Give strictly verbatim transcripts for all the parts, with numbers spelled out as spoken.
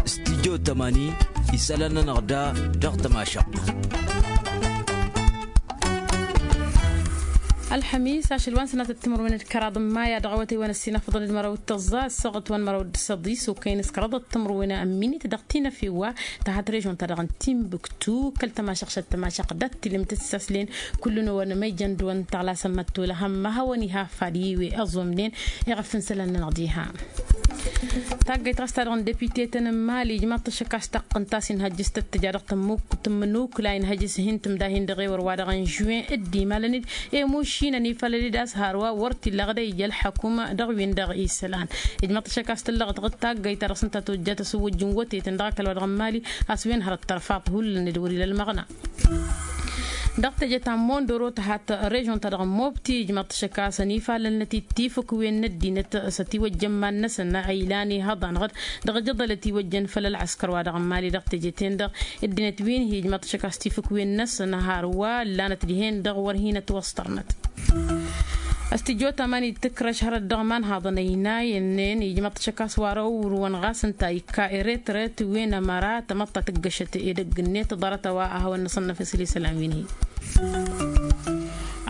Studyo tămani isălan-nănăɣ da dăɣ-tămašăɣt. Ălxămis ašăl wa n-sănatăt timǝrwen d-kăraḍ n-maya dăɣ-awătay wa n-ăssinăfḍăn d-măraw d-tăẓẓa ăssaɣăt wa n-măraw d-săḍis okăyăn s-kăraḍăt timǝrwen ămminit dăɣ-tinăfe wa tăhat režon-ta-dăɣ n-timbuktu kăl-tămašăɣt šăt tămašăɣt dat-tilǝm tǝssaslen. Kullu-năwăn ma ijăn dăɣ-wăn tăɣlasăn măttolăhăm ma hawăn-iha afad i-wi ăẓomnen. Iɣăf n-isălan-nănăɣ diha taggayt ɣas ta dăɣ-n depite-tăn n-mali ijmaḍ-t ašăk a-s taqqǝnt a-s inhăjjǝs tăt-tǝja dăɣ-tămmuk tǝmmǝnukla inhăjjǝs hin-tǝmdahin dăɣ-ewăr wa dăɣ-n žuwen dd-imalăn-dd. Emušinăn ifalăl-dd a-s hărwa wăr t-illa ɣǝd a ija ălḥăkum dăɣ-win-dăɣ isălan. Ijmaḍ-t ašăk a-s tǝllăɣăt ɣǝd taggayt ta dăɣ-s ǝnta tojjat asǝwwǝjj n-wătetăn dăɣ-ăkall wa dăɣ-n mali a-s wen hărăt tărfaḍ hullan-dd wăr-ila ălmăɣna. Dăɣ-teje ta n-mondoro tăhat režon-ta-dăɣ n-mobti ijmaḍ-t ašăk a-s ănifalălnăt-dd tifǝkwen n-ăddinăt s-ătiwăjjăn iman-năsăn a ilan ihăḍanăɣ-dd dăɣ-ajăḍăl ătiwăjjăn făll-ălɣăskăr wa dăɣ-n mali dăɣ-teje-ten-dăɣ. Ăddinăt wi n-hi ijmaḍ-t ašăk a-s tifǝkwen-năsăn hărwa ǝllanăt dihen-dăɣ wăr hin-ătwăṣṭărnăt. Ăstijot aman ittǝkrăš hărăt dăɣ-imanhaḍăn ăynayăn-nen ijmaḍ-t ašăk a-s wa răwrǝwăn ɣas ǝnta ikka eretret wen ămăra tamăḍt ta tǝggăšăt edăgg-net ḍarăt a-wa a hawăn-năṣănnăf isălan wi n-hi.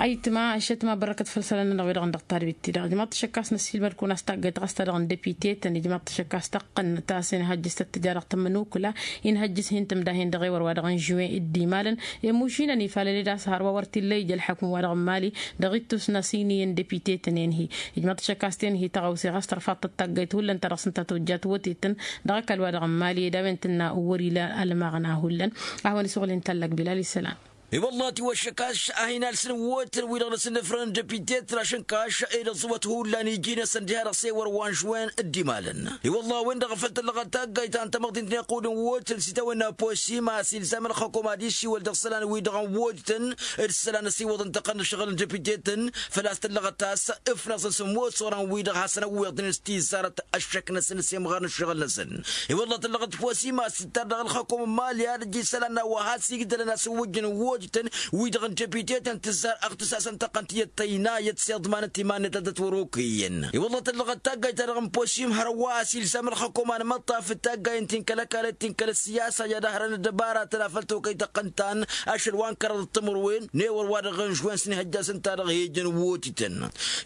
Ayǝtma ăššătma bărrăkăt făll-isălan-nănăɣ wi-dăɣ n-dăɣ-tadbit-ti-dăɣ ijmaḍ-t ašăk a-s năssiilmăd-kăwăn a-s taggayt ɣas ta dăɣ-n depite-tăn ijmaḍ-t ašăk a-s taqqăn ta s-inhăjjǝs tăt-tǝja dăɣ-tămmănukǝla inhăjjǝs hin-tǝmdahen dăɣ-ewăr wa dăɣ-n žuwen dd-imalăn. Emušinăn ifalăl-dd a-s hărwa wăr t-illa ija ălḥăkǝm wa dăɣ-n mali dăɣ-ittus n-asiniyăn depite-tăn-en-hi. Ijmaḍ-t ašăk a-s ten-hi tăɣawse ɣas tărfaḍ-tăt taggayt hullan ta dăɣ-s ǝnta tojjat wătetăn dăɣ-ăkall wa dăɣ-n mali ed a-wen tǝnna wăr-ila ălmăɣna hullan. A hawăn-isuɣǝl inta ăllak bilal isălan. I-wălla a tiwăššăk a-s a hin-alsǝn wotăn-wi-dăɣ n-asǝnnǝfrăn n-depite-tăn ašǝnkaš ed ăẓẓuwăt hullan iji-năsăn diha dăɣ-s ewăr wa n-žwen dd-imalăn. I-wălla a-wen-dăɣ a făl tăllăɣăt taggayt ta n-tamăḍint n-iqqud n-wotăn s-itawănna posim a-s ilzam ălxăkom ad-isiwăl dăɣ-isălan-wi-dăɣ n-wotăn d-isălan ăsiwăḍăn tăqqăn n-ǝššăɣǝl n-depite-tăn. Făl-a-s tăllăɣăt a-s ǝfnăẓăn s-ămoos orăn-wi-dăɣ hasăn-ăwweḍnen s-tizarăt ăššăk-năsăn s-imɣar n-ǝššăɣǝl-năsăn. I-wălla tăllăɣăt posim a-s tǝttar dăɣ-ălxăkom n-mali ad-ăj isălan n-a-wa has-igdălăn asǝwwǝjj n-wojtăn wi-dăɣ n-depite-tăn tǝzzar aɣtǝs-asăn tăqqăn tiyyăt tăynayăt s-iḍmanăt iman-net ad-ătwărokăyăn. I-wălla tăllăɣăt taggayt-ta-dăɣ n-posim hărwa a-s ilzam ălxăkom anmăṭṭaf d-taggayen ti n-kăl-ăkall d-ti n-kăl-ăssiyasa i-ad-ăhrăn ăddăbaratăn afăl tokăy tăqqăn-tan ašăl wa n-kăraḍ d-timǝrwen n-ewăr wa dăɣ-n žwen s-inhăjja s-ǝnta-dăɣ hejen wotităn.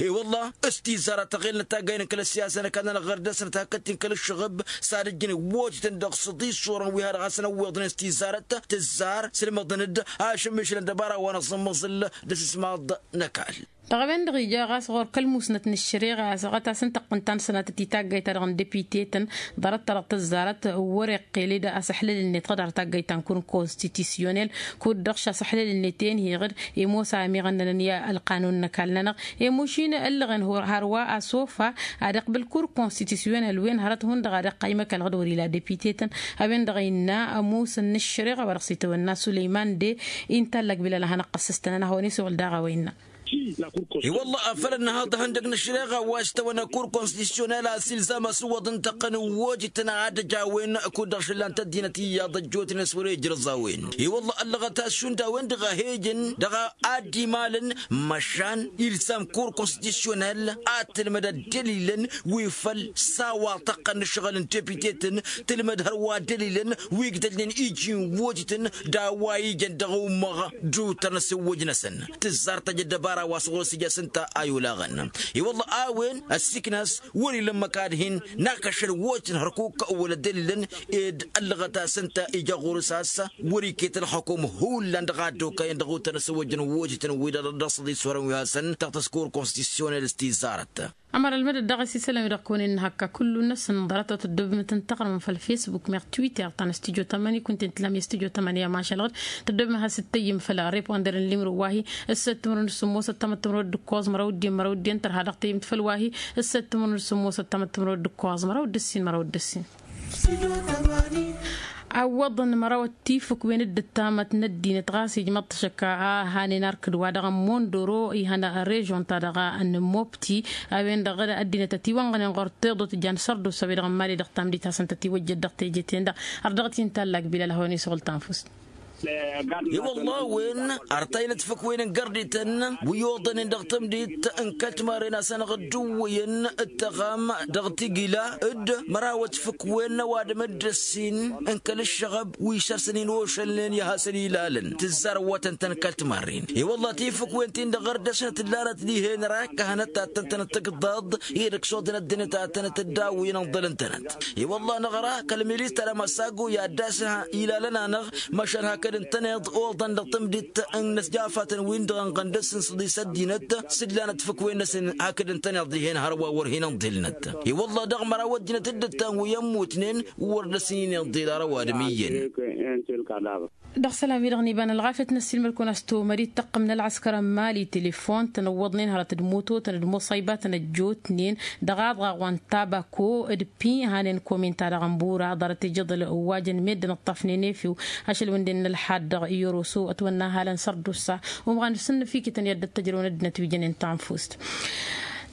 I-wălla s-tizarăt tăɣelnăt taggayen n-kăl-ăssiyasa n-ăkall-nănăɣ ɣăr dăr-săn takăt ti n-kăl-ǝššăɣǝb s-ad-ǝjjǝn wotităn dăɣ-săḍis orăn wi ha dăɣ-hasăn-ăwweḍnen s-tizarăt tǝzzar s-ǝlmăḍăn-dd ašǝmmišǝl n-dăbara wa n-aẓǝmmăẓǝl d-asǝsmaḍ n-ăkall. Dăɣ-a-wen-dăɣ ija ɣas ɣur-kăl-musnăt n-ǝššăreɣa a-s ɣăt-as n-tăqqǝn ta n-sănatăt i-taggayt-ta-dăɣ n-depite-tăn ḍarăt-ta-dăɣ tǝzzarăt wăr-iqqel-dd asăḥlăl-net ɣǝd har taggayt ta n-kur n-konstitisyonel kud-dăɣ šasăḥlăl-net enheɣ-dd. Imosa amiɣăn-nănăn i-ălqanun n-ăkall-nănăɣ. Emušin ǝllăɣen hărwa asofa ad-iqbǝl kur konstitisyonel wen hărăt hundăɣ ad-iqqay măkălăɣ-dd wăr-ila depite-tăn. A-wen-dăɣ innă ămusăn n-ǝššăreɣa wa dăɣ-s itawănna sulăyman de. Inta ăllăg bilal a hanăɣ-tăssǝstănăn ad-hawăn-isuɣǝl daɣ a-wa innă. I-wălla afăl ănnăhăḍ ihăndăg n-ăššăreɣa wa s-tawănna kur konstitisyonel a-s ilzam asǝwwăḍ n-tăqqăn n-wojǝtăn ad-ăj a-wen kud-dăɣ šǝllan-t ăddinăt iyyăḍ ăjjootnen s-wăr-e ǝjrǝẓ a-wen. I-wălla ăllăɣăt a-s šund a-wen-dăɣ a he-ijăn dăɣ-a ad-dd-imalăn măšan ilzam kur konstitisyonel ad-tǝlmăd ăddălilăn wi făl s-a-wa tăqqăn n-ǝššăɣǝl n-tepitetăn tǝlmăd hărwa ăddălilăn wi ǝgdălnen iji n-wojǝtăn d-a-wa ijăn dăɣ-ummăɣ d-utăr n-asǝwwǝj-năsăn. Tǝzzar tăj ăddăbara wa s-ɣur-s ija s-ǝnta a i-olaɣăn. I-wălla a-wen ăssiiknas wăr-ila ǝmmǝk ad-hin-nak ašăl wojǝtăn hărkuk wăla ăddălilăn ed ăllăɣăt a-s ǝnta ija ɣur-s a-s wăr-iket ălxăkum hullan dăɣ-a dd-okăyăn dăɣ-utăr n-asǝwwǝj n-wojǝtăn-wi-dăɣ dăɣ-săḍis orăn wi hasăn-tăɣtăs kur konstitisyonel s-tizarăt. Ămăra ălmădăt dăɣ-s isălan wi-dăɣ kăwăn-innă hăkka kullu-năsăn ḍarăt-wa tăddobem tǝntăɣrǝmăm făll-fesbuk meɣ twitter ta n-studyo tămani kunta inta ǝllam i-studyo tămani amašalăɣ-dd. Tăddobem ad-has-dd-tăyyǝm făll-reponder n-limro wa-hi ǝssăt timǝrwen d-sǝmmosăt tamăttămrăwăt d-ǝkkoẓ măraw d-dd-en măraw d-dd-en tărha dăɣ-tăyyǝmt făll-wa-hi. Ǝssăt timǝrwen d-sǝmmosăt tamăttămrăwăt d-ǝkkoẓ măraw d-ǝssin măraw d-ǝssin. Awwăḍăn mărawăt tifǝkwen d-ǝttamăt n-ăddinăt ɣas ijmăḍ-t ašăk a hanen arkǝd wa dăɣ-n mondoro ihăn režon-ta-dăɣ n-mobti. A-wen-dăɣ ăddinăt ătiwănɣănen ɣur-teḍut jan sărdusa wi-dăɣ n-mali dăɣ-tamdit hasăn-tătiwăjjăt dăɣ-teje-ten-dăɣ. Ărdăɣăt-i n-tallag bilal a hawăn-isuɣǝl tanfust. I-wălla a-wen ar tayǝlăt făkwen n-gărdităn wi oḍănen dăɣ-tămdit n-kăl-timarren a-s hanăɣ-dd-ǝwwǝyăn d-tăɣam dăɣ-tigila d-mărawăt făkwen n-ăwadǝm d-ăssin n-kăl-ǝššăɣăb wi săr-săn inošălnen i-ad-hasăn-ilalăn tǝzzar ăwwătăn-tăn kăl-timarren. I-wălla-t i-făkwen-tin-dăɣ ɣăr dăr-snăt ǝllanăt dihen rak a hanăt-tattăn-tănăt tǝgǝḍḍaḍ i-dăɣ s-oḍăn ăddinăt ad-tănăt-dd-awǝyăn ǝnḍălăn-tănăt. I-wălla-năɣ ra kăl-milis tăra măssago i-ad-dd-asăn ilalăn-anăɣ măšan hakd ǝntăneḍ oḍăn dăɣ-tămdit n-inǝsjafatăn-win-dăɣ ănɣăn dăr-s n-săḍis ăddinăt s-ǝllanăt făkwen-năsăn hakd ǝntăneḍ dihen hărwa wăr hin-ǝnḍǝlnăt. I-wălla-dăɣ măraw ăddinăt dd-ǝttan wi ămmutnen wăr dăr-săn-in-iḍḍil ar ăwadǝm iyyăn. Dăɣ-isălan-wi-dăɣ n-iba n-ălɣafyăt n-ăssiilmăd-kăwăn a-s tomăd-dd-tăqqǝm n-ălɣăskăr n-mali telefon tănăwwăḍnen hărăt d-mototăn d-muṣăybatăn ăjjootnen dăɣ-aḍɣaɣ wa n-tabako d-pi hanen kominta dăɣ-ănbura ḍarăt ijăḍăl ăwwajăn meddǝn ǝṭṭafnen efew ašăl wi n-dd-innă ălḥad dăɣ-iyoroso ătwănna halăn sărdusa umɣan s-ǝnnǝfikităn i-ad-dd-tăjrăwăn ăddinăt wi jănen tanfust.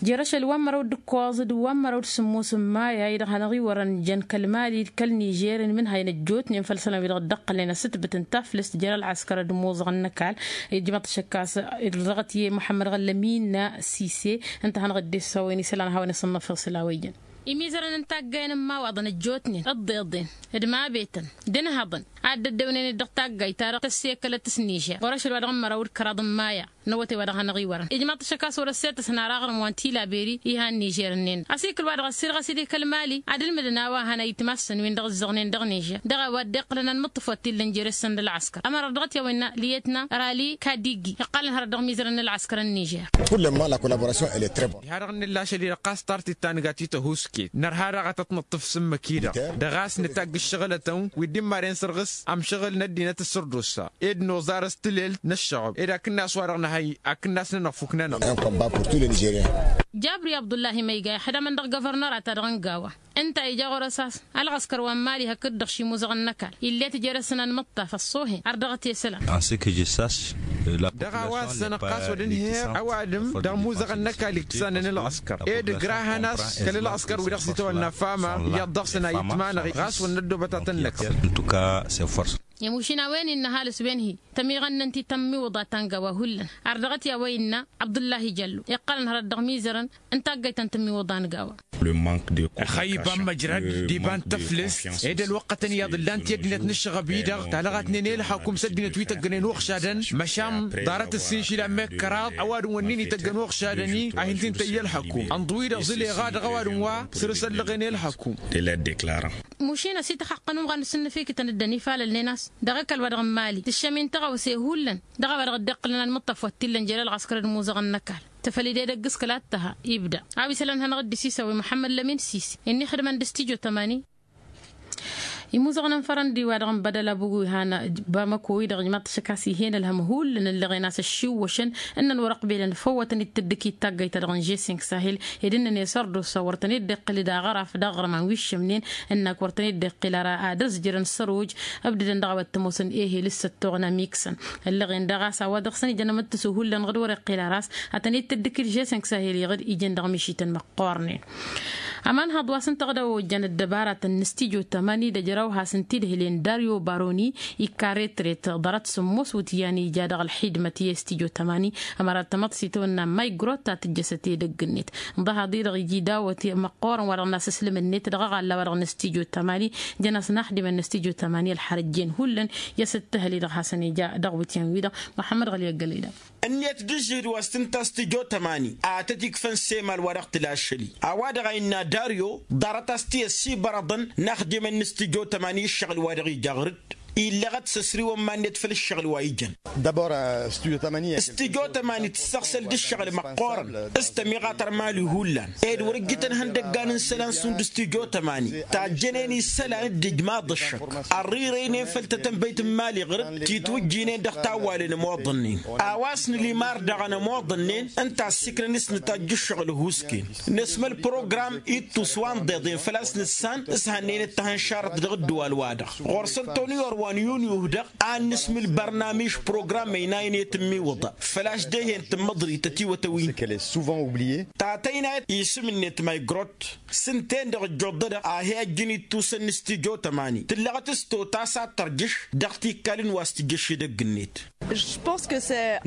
Jer-ašăl wa n-măraw d-ǝkkoẓ d-wa n-măraw d-sǝmmos n-maya i-dăɣ hanăɣ-iwărăn jăn kăl-mali d-kăl-nižer n-imǝnhayăn ăjjootnen făll-isălan wi-dăɣ dd-ăqqălnen asǝtbǝt n-taflǝst jer-ălɣăskăr d-imuẓăɣăn n-ăkall. Ijmăḍ-t ašăk a-s dăɣ-t i-muḥămmăd ɣăllămin sise ǝnta a hanăɣ-dd-issawăyăn isălan a hawăn-isǝnnăfeḍ s-ila wa ijăn. Imizărăn n-taggayăn n-imawaḍăn ăjjootnen ǝḍḍeḍen d-mabetăn d-ǝnhăḍăn ad-dd-ăddewnen-dd dăɣ-taggayt-ta-dăɣ tăssekălăt s-nižer ɣur-ašăl wa dăɣ-n măraw d-kăraḍ n-maya n-awătay wa dăɣ-hanăɣ-iwărăn ijmaḍ-t ašăk a-s wăr-ăsseta s-nara aɣrǝm wa n-tilaberi ihan nižer-ǝnnin ăsikǝl wa dăɣ-ăssirɣăs-dd i-kăl-mali ad-ǝlmǝdăn a-wa hăn ayǝtmassăn-win-dăɣ ǝzzăɣnen dăɣ-nižer dăɣ-a-wa dd-iqqǝlăn anmǝṭṭǝf wa t-illăn jere-săn d-ălɣăskăr ămărat dăɣ-t i-a-wa innă liyetna rali kadigi iqqălăn hărăt dăɣ-imizărăn n-ălɣăskăr n-nižer. Kullen ma la collaboration elle est très bonne. Diha-dăɣ n-nǝlla ašăl-i-dăɣ ɣas tar tittannǝgat i-tăhusket nărha daɣ ad-tăt-nǝṭṭǝf s-ǝmmǝk-i-dăɣ dăɣ-a-s nǝtagg ǝššăɣǝlătăn wi dd-imaren sărɣǝs amšăɣǝl n-ăddinăt d-sărdusa ed noẓar s-tǝlelt n-ǝššăɣăb ed akǝnnas-wa-dăɣ nǝhăy akǝnnas-nănăɣ fuk-nănăɣ. Jabri abdullahi ma iga ixdamăn dăɣ-găvărnăra-ta-dăɣ n-gawa ǝnta a ija ɣur-s a-s ălɣăskăr wa n-mali hakd-dăɣ šimuzăɣăn n-ăkall ill'-e tǝjer-asăn anmǝṭṭaf ăṣṣoohen ar dăɣ-t i-isălan. Dăɣ-a-wa ăssănăɣ ɣas wăr dd-inheɣ ăwadǝm dăɣ-imuzăɣăn n-ăkall ittǝsanen ǝlɣăskăr ed ǝgrahăn a-s kăl-ǝlɣăskăr wi dăɣ-s itawănna fama iyyăḍ dăɣ-săn a ittmanăɣ ɣas wăr năddoobăt ad-tăn-năkfăl. Ăwănnin n-ăhalǝs wen-hi tămiɣănnăn-t i-tămmiwǝḍa ta n-gawa hullan ar dăɣ-t i-a-wa innă abdullahi jallo iqqălăn hărăt dăɣ-imizărăn n-taggayt ta n-tămmiwǝḍa n-gawa. Ăxăyy iba n-măjrăd d-iba n-tăflǝst ed ălwăqqătăn iyyăḍ ǝllan-t i-ăddinăt n-ǝššăɣăb-i-dăɣ talɣatnen i-ălxăkum s-ăddinăt wi tăggănen uɣšadăn măšan ḍarăt ǝssin išilan meɣ kăraḍ ăwadǝm wănnin ităggăn uɣšadăn-i a hin-t-intăyy ălxăkum ănḍǝw-i-dăɣ zǝleɣa dăɣ-ăwadǝm wa săr-s ăllăɣen i-ălxăkum. Mušin ăsităxăqqăn umɣan n-asǝnnǝfikǝtăn dd-ănifalălnen a-s dăɣ-ăkall wa dăɣ-n mali tǝššăm-in tăɣawse hullan dăɣ-a-wa dăɣ-dd-iqqǝlăn anmǝṭṭaf wa t-illăn jer-ălɣăskăr d-imuzăɣăn n-ăkall. Tăfăl-dd edăgg s-kăla t-tăha ibda a-wa isălan hanăɣ-dd-isisăwăy muḥămmăd lămin sise ǝnni ixdǝmăn d-stijo tămani. Imuzăɣăn n-fărăndi wa dăɣ-n bădăl abugu ihan bamăko-i-dăɣ ijmaḍ-t ašăk a-s ih'-en ălhăm hullan ǝllăɣen a-s ăššiwwăšăn ǝnnăn wăr-ăqbelăn făw wa tăn-dd-tǝddǝkit taggayt-ta-dăɣ n-žesink sahil ed ǝnnăn i-sărdusa wăr tăn-dd-iqqǝl d-aɣăraf d-aɣrǝm a n-wiššămnen ǝnnak wăr tăn-dd-iqqǝl ara ad-ăzjărăn săr-oj ǝbdǝdăn dăɣ-a-wa t-ămoosăn ehel s-săttoɣna miksăn. Ǝllăɣen daɣ a-s a-wa dăɣ-săn ijăn amǝttǝsu hullan ɣǝd wăr-iqqǝl ara a-s ad-tăn-dd-tǝddǝkǝl žesink sahil iɣǝd ijăn dăɣ-mišităn măqqoornen. Ămanhăḍ wa s-ǝnta ɣǝd a-wa ojjan ăddăbaratăn n-stijo tămani d-ejăraw has-ǝnta idhǝlen daryo baroni ikka retret ḍarăt sǝmmos wǝtyan ija dăɣ-ălxidmăt i-stijo tămani. Ămăra tamăḍt s-itawănna maygrot ta tǝjjăsăt edăgg-net ǝnḍăhaḍ-i-dăɣ iji dawăt măqqoorăn wa dăɣ-nasǝslǝm-net dăɣ-aɣalla wa dăɣ-n stijo tămani. Jăn-asăn axdimăn n-stijo tămani ălxărăjjen hullan i-asǝt tǝhăl-i-dăɣ hasăn-ija dăɣ-wǝtyan-wi-dăɣ. Muḥămmăd ɣăli ăggălăy-dăɣ. Ǝnniyăt d-ǝžžǝhǝd wa s-tǝnta stijo tămani a tăt-ikfăn s-emal wa dăɣ-tǝla ašăl-i a-wa dăɣ-a innă daryo ḍarăt a-s t-i-ăssibărăḍăn n-axdimăn n-stijo tămani i-ǝššăɣǝl wa dăɣ-ija ɣǝr-dd. Illăɣăt s-ăsriwăn iman-net făll-ǝššăɣǝl wa ijăn. Stijo tămani tǝssăɣsăl d-ǝššăɣǝl măqqoorăn s-tămiɣa tăr-mali hullan ed wăr-ǝjjǝtăn ihăndăggan n-isălan šund stijo tămani tajjănen isălan d-ijmaḍ ǝššăk. Ărrirăynen făll-tătănbăyt n-mali ɣǝr-dd titwǝjjǝynen dăɣ-tawwalen ămoḍănnen a-wa s-nǝlimar daɣ ănămoḍănnen ǝnta a ăssiikrăn s-nǝtajj ǝššăɣǝl ăhuusken. Năsmăl program ittus wa n-iḍeḍen făl-a-s nǝssan s-hannăyăn d-tahănšarăt dăɣ-ǝddǝwal-wa-dăɣ ɣur-săn toniyor. Wa n-yunyu-dăɣ ad-nǝsmǝl bărnamij program ăynayăn i-tǝmmiwǝḍa făl-a-s dehen tǝmmăḍrit ătiwătăwin. Ta tăynayăt isǝm-net maygrot s-ǝnta-en-dăɣ ăjjoḍădăɣ a hi-ăjjǝn ittusăn n-stijo tămani tǝllăɣăt s-totas ad-tărjǝš dăɣ-tikkalăn wa s-tǝjjăš edăgg-net.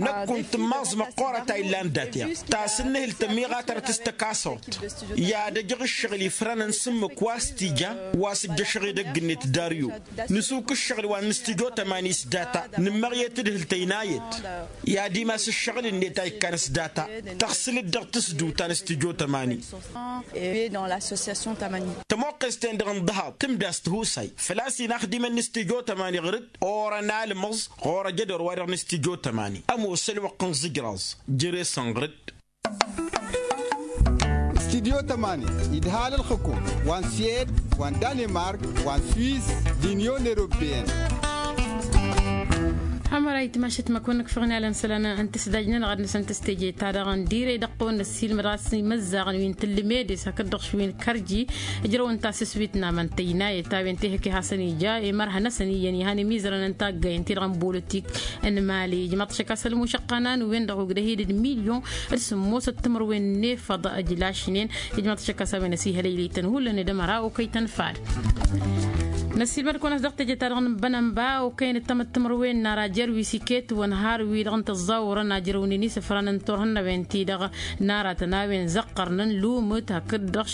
Năkk kunta n-imaẓ măqqoorăt a illan dat-i ta s-ǝnnǝhǝl tămiɣatărăt s-tăkasăwt i-ad-ăjăɣ ǝššăɣǝl ifrănăn s-ǝmmǝk wa s-tija wa s-ǝjjăšăɣ edăgg-net daryu. Nǝsuk ǝššăɣǝl wa n-stijo tămani s-data nǝmmăɣ i-tǝdhǝl tăynayăt i-ad-imas ǝššăɣǝl-net a ikkan s-data tăɣsǝlăt dăɣ-tǝsduta n-stijo tămani. Tămoqqes-ten-dăɣ n-ḍahaḍ tǝmda s-tihusay făl-a-s inaxdimăn n-stijo tămani ɣǝr-dd orăn almăẓ ɣur-ăjădor-wa-dăɣ n-stijo tămani ămoos ălwăqq n-iẓǝjraẓ. Jere-săn ɣǝr-dd. Stijo tămani idhal ǝlxǝkum wa n-siyed wa n-danimark wa n-swiz d-inyon eropeyăn. Ămăra itmašăt măkun nǝkfăɣ n-alăn isălan n-tǝsdaj-nănăɣ ad-nǝsăn tǝsteje-ta-dăɣ n-direy dăɣ-tăwăn n-ăssiilmăd ɣas imăzzaɣăn wi n-tǝllǝmedes hakd-dăɣ š-wi n-kărji. Ǝjrăwăn tasǝswit n-amăn tăynayăt a-wen tehăke hasăn-ija i-mărha-năsăn iyyăn ihăn imizărăn n-taggayăn-ti-dăɣ n-bolotik n-mali ijmaḍ-t ašăk a-s ălmušăqqa n-a-wen-dăɣ ogdăh-dd milyon d-sǝmmosăt timǝrwen n-efăḍ ǝjlašnen. Ijmaḍ-t ašăk a-s a-wen ăsihălăylăy-tăn hullan d-ămăra okăy-tăn fad. Năssiilmăd-kăwăn a-s dăɣ-teje-ta-dăɣ n-bănănba okăyăn d-tamǝttimărwen n-ara jer-wi s-iket wăn har-wi-dăɣ n-tăẓẓawărăn ajrăwnen isǝfran n-turhǝnnawen-ti-dăɣ n-aratăn a-wen zăqqărnăn lumǝt hakd-dăɣ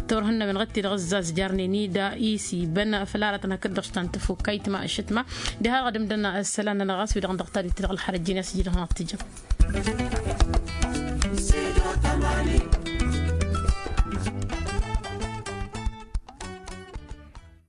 turhǝnnawen ɣǝd-ti-dăɣ ǝzzazjarnen-dd isibăn făll-aratăn hakd-dăɣ s-ta n-tăfukkayt ma ăššătma. Diha-dăɣ ad-ǝmdăn isălan-nănăɣ ɣas wi-dăɣ n-dăɣ tadit-ti-dăɣ ălxărăjjin i-asǝjjǝdăɣ n-ad-t-ijăm.